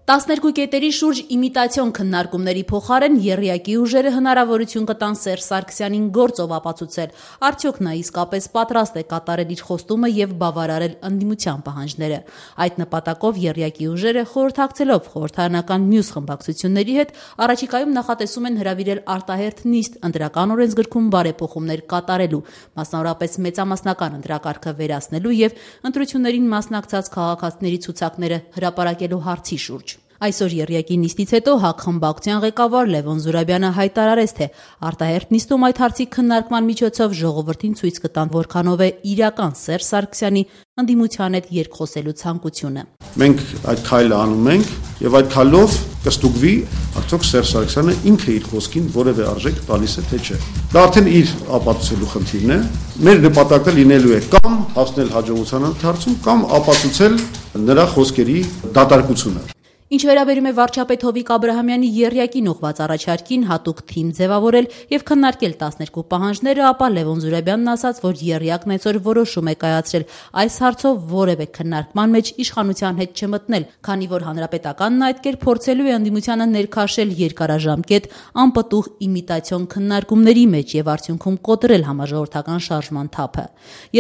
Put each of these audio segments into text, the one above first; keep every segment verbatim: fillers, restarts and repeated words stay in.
տասներկու կետերի շուրջ իմիտացիոն քննարկումների փոխարեն եռյակի ուժերը հնարավորություն կտան Սերժ Սարգսյանին գործով ապացուցել, արդյոք նա իսկապես պատրաստ է կատարել իր խոստումը եւ բավարարել ընդդիմության պահանջները։ Այդ նպատակով եռյակի ուժերը խորհրդակցելով խորհրդարանական մյուս խմբակցությունների հետ առաջիկայում նախատեսում են հրավիրել արտահերթ նիստ ընտրական օրենսգրքում բարեփոխումներ կատարելու, մասնավորապես մեծամասնական ընտրակարգը վերացնելու եւ ընտրություններին մասնակցած քաղաքացիների ցուցակները հրապարակելու հարցի շուրջ։ Այսօր եռյակի նիստից հետո ՀԱԿ խմբակցության ղեկավար Լևոն Զուրաբյանը հայտարարեց, թե արտահերթ նիստում այդ հարցի քննարկման միջոցով ժողովրդին ցույց կտան, որքանով է իրական Սերժ Սարգսյանի ընդդիմության հետ երկխոսելու ցանկությունը։ Մենք այդ քայլը անում ենք եւ այդ քայլով կստուգվի, արդյոք Սերժ Սարգսյանը ինքը իր խոսքին որևէ արժեք տալիս է թե չէ։ Դա արդեն իր ապացուցելու խնդիրն է։ Մեր նպատակը լինելու է կամ հասնել հաջողության ընթացքում, կամ ապացուցել նրա խոսքերի դատարկությունը։ Ինչ վերաբերում է վարչապետ Հովիկ Աբրահամյանի եռյակին ուղղված առաջարկին հատուկ թիմ ձևավորել եւ քննարկել տասներկու պահանջները, ապա Լևոն Զուրաբյանն ասաց, որ եռյակն այսօր որոշում է կայացրել այս հարցով որևէ քննարկման մեջ իշխանության հետ չմտնել, քանի որ հանրապետականն այդ կերպ փորձելու է ընդդիմությանը ներքաշել երկարաժամկետ անպտուղ իմիտացիոն քննարկումների մեջ եւ արդյունքում կոտրել համաժողովրդական շարժման թափը։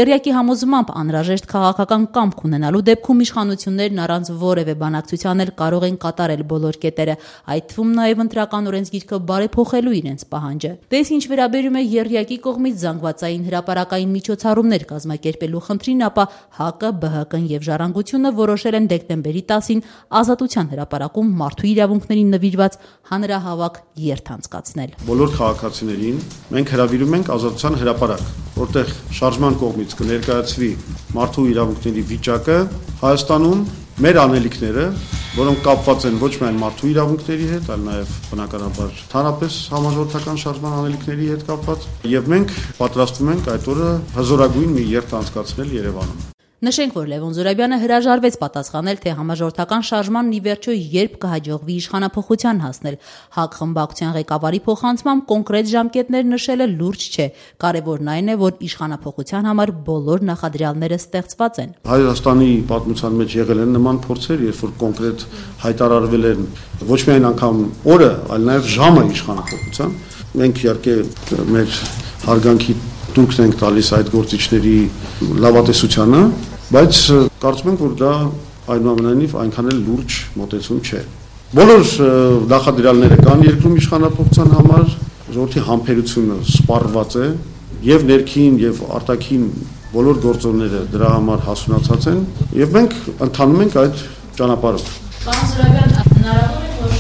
Եռյակի համոզմամբ անհրաժեշտ քաղաքական կամք ունենալու դեպքում իշխանություններն առանց որևէ բանակցության էլ կարող են կատարել բոլոր կետերը, այդ թվում նաև ընտրական օրենսգիրքը բարեփոխելու իրենց պահանջը։ Դες ինչ վերաբերում է եռյակի կողմից զանգվածային հրապարակային միջոցառումներ կազմակերպելու խնդրին, ապա ՀԱԿ-ը, ԲՀԿ-ն եւ Ժառանգությունը որոշել են դեկտեմբերի տասին Ազատության հրապարակում մարդու իրավունքներին նվիրված հանրահավաք երթ անցկացնել։ Բոլոր քաղաքացիներին մենք հրավիրում ենք Ազատության հրապարակ, որտեղ շարժման կողմից կներկայացվի մարդու իրավունքների վիճակը Հայաստանում, մեր անելիքները, որոնք կապված են ոչ միայն մարդու իրավունքների հետ, այլ նաև բնականաբար հանրապես համաժողովրդական շարժման անելիքների հետ կապված, եւ մենք պատրաստվում ենք այդ օրը հզորագույն մի երթ անցկացնել Երևանում։ Նշենք, որ Լևոն Զուրաբյանը հրաժարվեց պատասխանել, թե համաժողովրդական շարժմանն ի վերջո երբ կհաջողվի իշխանափոխության հասնել։ ՀԱԿ խմբակցության ղեկավարի փոխանցմամբ կոնկրետ ժամկետներ նշելը լուրջ չէ։ Կարևորն այն է, որ իշխանափոխության համար բոլոր նախադրյալները ստեղծված են։ Հայաստանի պատմության մեջ եղել են նման փորձեր, երբ որ կոնկրետ հայտարարվել են ոչ միայն անգամ օրը, այլ նաև ժամը իշխանափոխության։ Մենք իհարկե մեր հարգանքի դուքն ենք տալիս այդ գործիչների լավատեսությանը, բայց կարծում ենք, որ դա այնուամենայնիվ այնքան էլ լուրջ մոտեցում չէ։ Բոլոր նախադրյալները կան երկրում իշխանափոխության համար, ժողովրդի համբերությունը սպառված է եւ ներքին եւ արտաքին բոլոր գործոնները դրա համար հասունացած են եւ մենք ընթանում ենք այդ ճանապարհով։ Պարոն Զուրաբյան, հնարավոր է, որ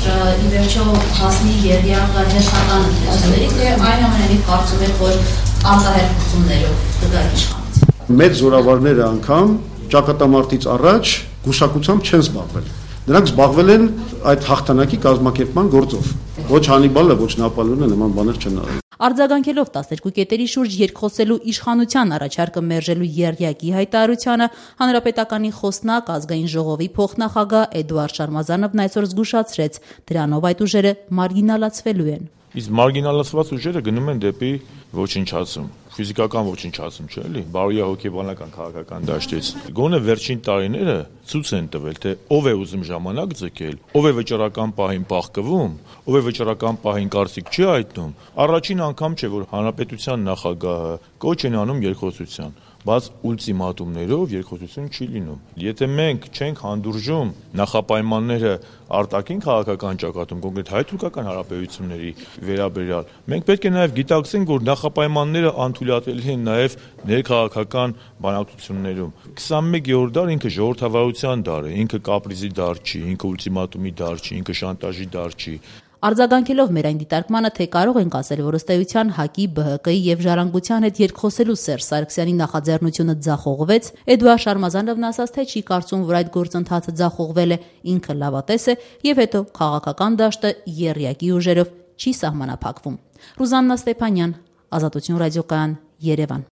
ի վերջո հասնի եռյակը հերթական ընտրությունների, թե այնուամենայնիվ կարծում եք, որ արտահերթություններով կգա իշխանություն։ Մեր զորավարները անգամ ճակատամարտից առաջ գուշակությամբ չեն զբաղվել։ Նրանք զբաղվել են այդ հաղթանակի կազմակերպման գործով։ Ոչ Հանիբալը, ոչ Նապոլեոնը նման բաներ չեն արել։ Արձագանքելով տասներկու կետերի շուրջ երկխոսելու իշխանության առաջարկը մերժելու եռյակի հայտարարությանը, Հանրապետականի խոսնակ ազգային ժողովի փոխնախագահ Էդուարդ Շարմազանովն այսօր զգուշացրեց, դրանով այդ ուժերը մարգինալացվելու են։ Իսկ մարգինալացված ուժերը գնում են դեպի ոչնչացում, ֆիզիկական ոչնչացում, չէ՞ էլի, բարոյահոգեբանական քաղաքական դաշտից։ Գոնե վերջին տարիները ցույց են տվել, թե ով է ուզում ժամանակ ձգել, ով է վճռական պահին պահկվում, ով է վճռական պահին կարծիք չի հայտնում։ Առաջին անգամ չէ, որ հանրապետության նախագահը կոչ են անում երկխոսության, բայց ուլտիմատումներով երկխոսություն չի լինում։ Եթե մենք չենք հանդուրժում նախապայմանները արտաքին քաղաքական ճակատում, կոնկրետ հայ-թուրքական հարաբերությունների վերաբերյալ, մենք պետք է նաև գիտակցենք, որ նախապայմանները անթույլատելի են նաև ներքաղաքական բանակցություններում։ քսանմեկերորդ դար ինքը ժողովրդավարության դար է, ինքը կապրիզի դար չի, ինքը ուլտիմատումի դար չի, ինքը շանտաժի դար չի։ Արձագանքելով մեր այն դիտարկմանը, թե կարող ենք ասել, որ ըստ էության ՀԱԿ-ի, ԲՀԿ-ի եւ Ժառանգության հետ երկխոսելու Սերժ Սարգսյանի նախաձեռնությունը ձախողվեց, Էդուարդ Շարմազանովն ասաց, թե չի կարծում, որ այդ գործընթացը ձախողվել է, ինքը լավատես է եւ հետո քաղաքական դաշտը եռյակի ուժերով չի սահմանափակվում։ Ռուզաննա Ստեփանյան, Ազատություն ռադիոկայան, Երևան։